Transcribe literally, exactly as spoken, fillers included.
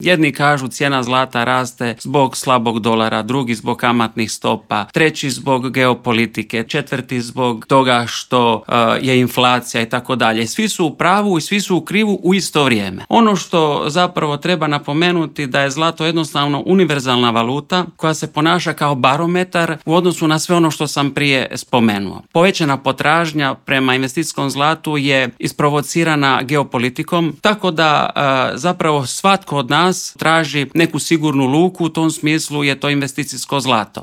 Jedni kažu cijena zlata raste zbog slabog dolara, drugi zbog kamatnih stopa, treći zbog geopolitike, četvrti zbog toga što uh, je inflacija i tako dalje. Svi su u pravu i svi su u krivu u isto vrijeme. Ono što zapravo treba napomenuti da je zlato jednostavno univerzalna valuta koja se ponaša kao barometar u odnosu na sve ono što sam prije spomenuo. Povećana potražnja prema investicijskom zlatu je isprovocirana geopolitikom, tako da uh, zapravo svatko od nas traži neku sigurnu luku, u tom smislu je to investicijsko zlato.